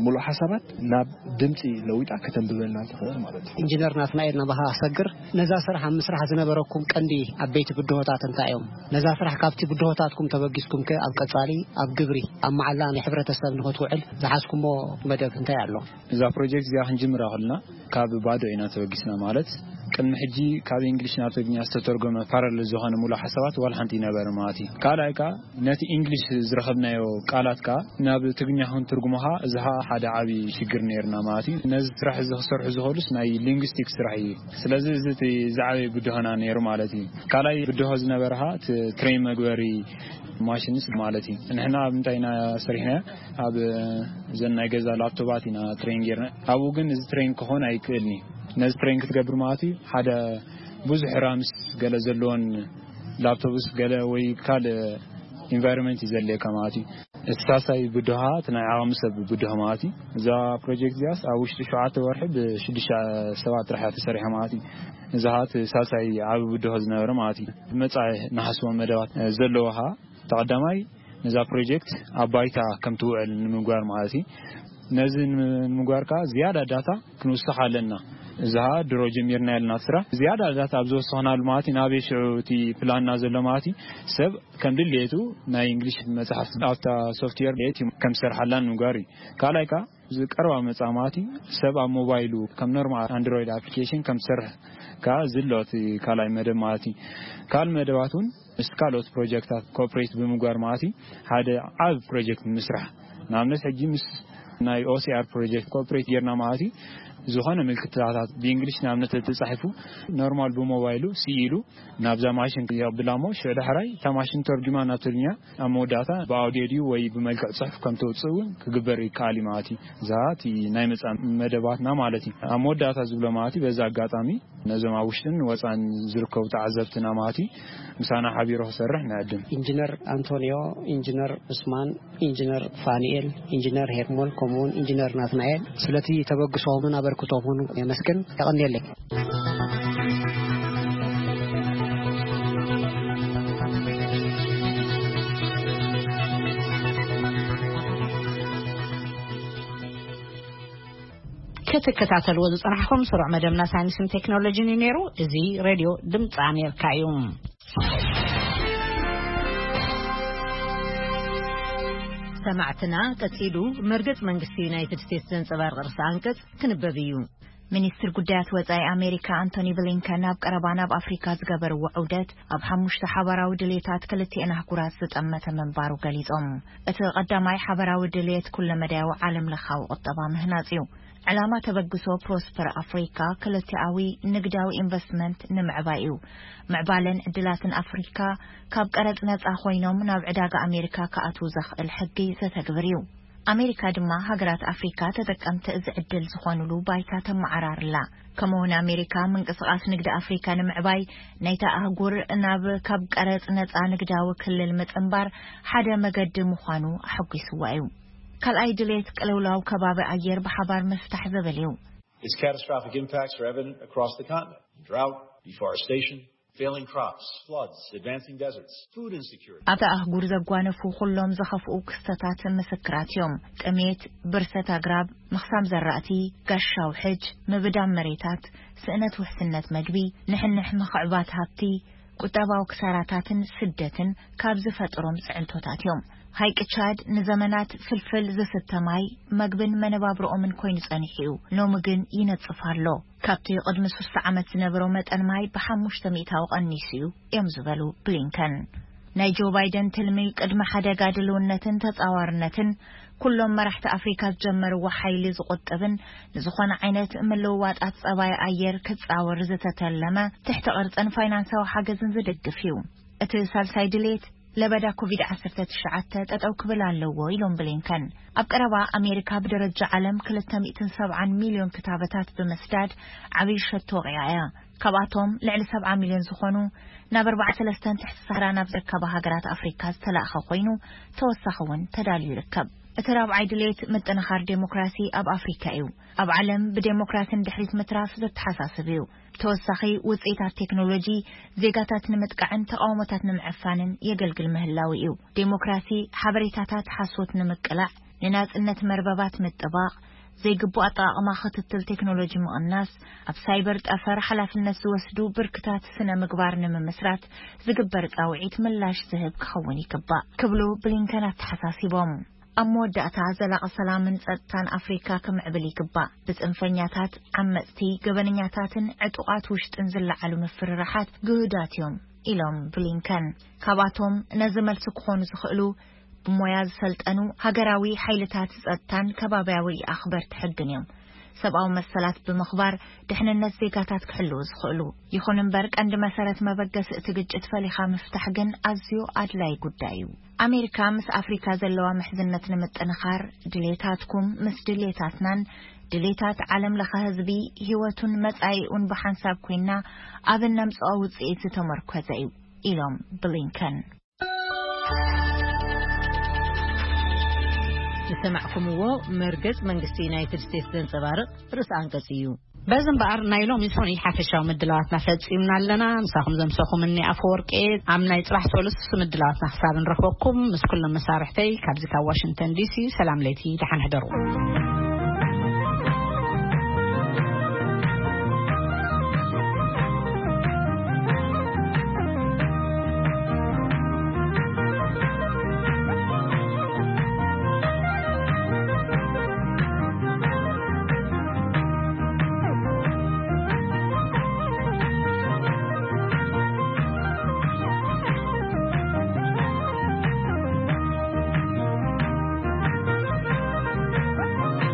ሙሉእ ሓሳባት ናብ ድምፂ ለዊጣ ከተንብበልና ትኽእል ማለት እዩ። ኢንጂነር ናትናኤል ናባኻ ኣሰግር፣ ነዛ ስራሕ ኣብ ምስራሕ ዝነበረኩም ቀንዲ ዓበይቲ ብድሆታት እንታይ እዮም? ነዛ ስራሕ ካብቲ ብድሆታትኩም ተበጊስኩም ከ ኣብ ቀጻሊ ኣብ ግብሪ ኣብ መዓላ ናይ ሕብረተሰብ ንኽትውዕል ዝሓዝኩሞ መደብ እንታይ ኣሎ? እዛ ፕሮጀክት እዚኣ ክንጅምራ ከለና ካብ ባዶ ኢና ተበጊስና። ማለት ቅድሚ ሕጂ ካብ እንግሊሽ ናብ ትግርኛ ዝተተርጎመ ፓራለል ዝኾነ ሙሉእ ሓሳባት ዋላ ሓንቲ ይነበረ ማለት እዩ። ካልኣይ ከዓ ነቲ እንግሊሽ ዝረኸብናዮ ቃላት ከዓ ናብ ትግርኛ ክንትርጉሞ ከዓ እዚ ከዓ ሓደ ዓብዪ ሽግር ነይርና ማለት እዩ። ነዚ ስራሕ እዚ ክሰርሑ ዝኽእሉስ ናይ ሊንግስቲክ ስራሕ እዩ። ስለዚ እዚ እቲ ዝዓበየ ብድሆና ነይሩ ማለት እዩ። ካልኣይ ብድሆ ዝነበረ ከዓ እቲ ትሬን መግበሪ ማሽንስ ማለት እዩ። ንሕና ኣብ እንታይ ኢና ሰሪሕና? ኣብ እዘን ናይ ገዛ ላፕቶባት ኢና ትሬን ጌርና። ኣብኡ ግን እዚ ትሬን ክኾን ኣይክእልን እዩ። ነዚ ትሬን ክትገብር ማለት እዩ ሓደ ብዙሕ ራምስ ገለ ዘለዎን ላፕቶፕስ ገለ ወይ ካልእ ኢንቫይሮንመንት እዩ ዘድልየካ ማለት እዩ። እቲ ሳልሳይ ብድሆ እቲ ናይ ዓቕሚ ሰብ ብድሆ ማለት እዩ። እዛ ፕሮጀክት እዚኣስ ኣብ ውሽጢ ሸውዓተ ወርሒ ብሽዱሽተ ሰባት ጥራሕ እያ ተሰሪሓ ማለት እዩ። እዚ ኸዓ እቲ ሳልሳይ ዓቢ ብድሆ ዝነበረ ማለት እዩ። መጻኢ ንሓስቦም መደባት ዘለዋ ኸዓ ተቐዳማይ ነዛ ፕሮጀክት ኣብ ባይታ ከም ትውዕል ንምግባር ማለት እዩ። ነዚ ንምግባር ከኣ ዝያዳ ዳታ ክንውስኽ ኣለና። እዚ ኸኣ ድሮ ጀሚርና ያለና ስራሕ ዝያዳ ዳታ ኣብ ዝወሰኽናሉ ማለት እዩ። ናበይ ሽዑ እቲ ፕላንና ዘሎ ማለት እዩ። ሰብ ከም ድሌቱ ናይ እንግሊሽ መጽሓፍቲ ኣብታ ሶፍትዌር ቤት እዩ ከም ዝሰርሓላ ንምግባር እዩ። ካልኣይ ከኣ ዝቀርባ መጻማቲ ሰብ ኣብ ሞባይሉ ከም ኖርማል ኣንድሮይድ ኣፕሊኬሽን ከም ትሰርሕ፣ ከኣ ዝሎ እቲ ካልኣይ መደብ ማለት እዩ። ካልእ መደባት እውን ምስ ካልኦት ፕሮጀክታት ኮኦፕሬት ብምግባር ማለት እዩ። ሓደ ዓብ ፕሮጀክት ምስራሕ፣ ንኣብነት ሕጂ ምስ ናይ ኦሲኣር ፕሮጀክት ኮኦፕሬት ጌርና ማለት እዩ። ዝኾነ ምልክታታት ብእንግሊሽ ንኣብነት ተጻሒፉ፣ ኖርማል ብሞባይሉ ስኢሉ ናብዛ ማሽን የቕብላ እሞ፣ ሽዑ ዳሕራይ እታ ማሽን ተርጉማ ናብ ትግርኛ ኣብ መወዳእታ ብኣውዲዮ ድዩ ወይ ብመልክዕ ጽሑፍ ከም ተውጽእ እውን ክግበር ይከኣል እዩ ማለት እዩ። እዛ እቲ ናይ መጻ መደባትና ማለት እዩ። ኣብ መወዳእታ ዝብሎ ማለት እዩ። በዚ ኣጋጣሚ ነዞም ኣብ ውሽጥን ወጻን ዝርከቡ ተዓዘብትና ማለት እዩ፣ ምሳና ሓቢሩ ክሰርሕ ንዕድም። ኢንጂነር ኣንቶንዮ፣ ኢንጂነር ዑስማን፣ ኢንጂነር ፋኒኤል፣ ኢንጂነር ሄርሞል፣ ከምኡውን ኢንጂነር ናትናኤል፣ ስለቲ ተበግሶምን ኣበርክቶምን የመስግን። የቐንየለይ። ክትከታተልዎ ዝጸናሕኩም ስሩዕ መደብና ሳይንስን ቴክኖሎጂን እዩ ነይሩ። እዚ ሬድዮ ድምፂ ኣሜሪካ እዩ። ሰማዕትና፣ ቀጺሉ መርገጽ መንግስቲ ዩናይትድ ስቴትስ ዘንጸባርቕ ርእሰ ኣንቀጽ ክንበብ እዩ። ሚኒስትር ጉዳያት ወጻኢ ኣሜሪካ ኣንቶኒ ብሊንከን ኣብ ቀረባ ናብ ኣፍሪካ ዝገበርዎ ዑደት ኣብ ሓሙሽተ ሓባራዊ ድሌታት ክልቲአን ኣህጉራት ዝጠመተ ምንባሩ ገሊጾም። እቲ ቀዳማይ ሓባራዊ ድሌት ኩለመዳያዊ ዓለም ለኻዊ ቁጠባ ምህናጽ እዩ። ዕላማ ተበግሶ ፕሮስፐር ኣፍሪካ ክልቲኣዊ ንግዳዊ ኢንቨስትመንት ንምዕባይ እዩ። ምዕባለን ዕድላትን ኣፍሪካ ካብ ቀረጽ ነጻ ኮይኖም ናብ ዕዳጋ ኣሜሪካ ክኣትዉ ዘኽእል ሕጊ ዘተግብር እዩ። ኣሜሪካ ድማ ሃገራት ኣፍሪካ ተጠቀምቲ እዚ ዕድል ዝኾኑሉ ባይታ ተመዓራርላ። ከምኡውን ኣሜሪካ ምንቅስቓስ ንግዲ ኣፍሪካ ንምዕባይ ናይታ ኣህጉር ናብ ካብ ቀረጽ ነጻ ንግዳዊ ክልል ምጽንባር ሓደ መገዲ ምዃኑ ኣሐጒስዋ እዩ። ካልኣይ ድሌት ቅልውላው ከባቢ ኣየር ብሓባር ምፍታሕ ዝብል እዩ። Its catastrophic impacts are evident across the continent. Drought, deforestation, failing crops, floods, advancing deserts, food insecurity. ኣብታ ኣህጉር ዘጓነፉ ኩሎም ዝኸፍኡ ክስተታት ምስክራት እዮም። ጥሜት፣ ብርሰት ኣግራብ፣ ምኽሳም ዘራእቲ፣ ጋሻው ሕጅ፣ ምብዳም መሬታት፣ ስእነት ውሕስነት መግቢ፣ ንሕንሕ ምኽዕባት ሃብቲ፣ ቁጠባዊ ክሳራታትን ስደትን ካብ ዝፈጥሮም ጽዕንቶታት እዮም። ሃይቂ ቻድ ንዘመናት ፍልፍል ዝስተ ማይ፣ መግብን መነባብሮኦምን ኮይኑ ጸኒሑ እዩ። ሎሚ ግን ይነጽፍ ኣሎ። ካብቲ ቅድሚ ሶስተ ዓመት ዝነበሮ መጠን ማይ ብሓሙሽተ ሚእታዊ ቀኒሱ እዩ እዮም ዝበሉ ብሊንከን። ናይ ጆ ባይደን ትልሚ ቅድሚ ሓደጋ ድልውነትን ተጻዋርነትን ኩሎም መራሕቲ ኣፍሪካ ዝጀመርዎ ሓይሊ ዝቑጥብን ንዝኾነ ዓይነት ምልውዋጣት ጸባይ ኣየር ክጻወር ዝተተለመ ትሕቲ ቅርጽን ፋይናንሳዊ ሓገዝን ዝድግፍ እዩ። እቲ ሳልሳይ ድሌት ለበዳ ኮቪድ ዓሰርተ ትሽዓተ ጠጠው ክብል ኣለዎ ኢሎም ብሊንከን። ኣብ ቀረባ ኣሜሪካ ብደረጃ ዓለም ክልተ ሚእትን ሰብዓን ሚልዮን ክታበታት ብምስዳድ ዓብዪ ሸቶ ወቒዓ እያ። ካብኣቶም ልዕሊ ሰብዓ ሚልዮን ዝኾኑ ናብ ኣርባዓ ሰለስተን ትሕቲ ሳህራ ናብ ዝርከባ ሃገራት ኣፍሪካ ዝተላእኸ ኮይኑ፣ ተወሳኺ እውን ተዳልዩ ይርከብ። እቲ ራብዓይ ድሌት ምጥንኻር ዴሞክራሲ ኣብ ኣፍሪካ እዩ። ኣብ ዓለም ብዴሞክራሲ ንድሕሪት ምትራፍ ዘተሓሳስብ እዩ። ተወሳኺ ውፅኢታት ቴክኖሎጂ ዜጋታት ንምጥቃዕን ተቃውሞታት ንምዕፋንን የገልግል ምህላው እዩ። ዴሞክራሲ ሓበሬታታት ሓሶት ንምቅላዕ፣ ንናጽነት መርበባት ምጥባቕ፣ ዘይግቡእ ኣጠቓቕማ ክትትል ቴክኖሎጂ ምቕናስ፣ ኣብ ሳይበር ጠፈር ሓላፍነት ዝወስዱ ብርክታት ስነ ምግባር ንምምስራት ዝግበር ጻውዒት ምላሽ ዝህብ ክኸውን ይግባእ ክብሉ ብሊንከን ኣተሓሳሲቦም። ኣብ መወዳእታ ዘላቒ ሰላምን ጸጥታን ኣፍሪካ ክምዕብል ይግባእ። ብጽንፈኛታት፣ ዓመጽቲ፣ ገበነኛታትን ዕጡቓት ውሽጥን ዝለዓሉ ምፍርራሓት ግሁዳት እዮም ኢሎም ብሊንከን። ካብኣቶም ነዚ መልሲ ክኾኑ ዝኽእሉ ብሞያ ዝሰልጠኑ ሃገራዊ ሓይልታት ጸጥታን ከባብያዊ ኣኽበርቲ ሕግን እዮም። ሰብኣዊ መሰላት ብምኽባር ድሕንነት ዜጋታት ክሕልዉ ዝኽእሉ። ይኹን እምበር ቀንዲ መሰረት መበገሲ እቲ ግጭት ፈሊኻ ምፍታሕ ግን ኣዝዩ ኣድላይ ጉዳይ እዩ። ኣሜሪካ ምስ ኣፍሪካ ዘለዋ ምሕዝነት ንምጥንኻር ድሌታትኩም ምስ ድሌታትናን ድሌታት ዓለም ለኸ ህዝቢ ህይወቱን መጻኢኡን ብሓንሳብ ኮይና ኣብ እነምጽኦ ውጽኢት ዝተመርኮዘ እዩ ኢሎም ብሊንከን። ዝሰማዕኩምዎ መርገጽ መንግስቲ ዩናይትድ ስቴትስ ዘንጸባርቕ ርእሲ ኣንቀጽ እዩ። በዚ እምበኣር ናይ ሎሚ ሰኑይ ሓፈሻዊ ምድላዋትና ፈጺምና ኣለና። ምሳኹም ዘምሰኹም እኒ ኣፈወርቂ ኣብ ናይ ጽባሕ ሰሉስ ምድላዋትና ክሳብ ንረኽበኩም ምስ ኩሎም መሳርሕተይ ካብዚ ካብ ዋሽንግተን ዲሲ ሰላም ለይቲ ደሓን ሕደሩ።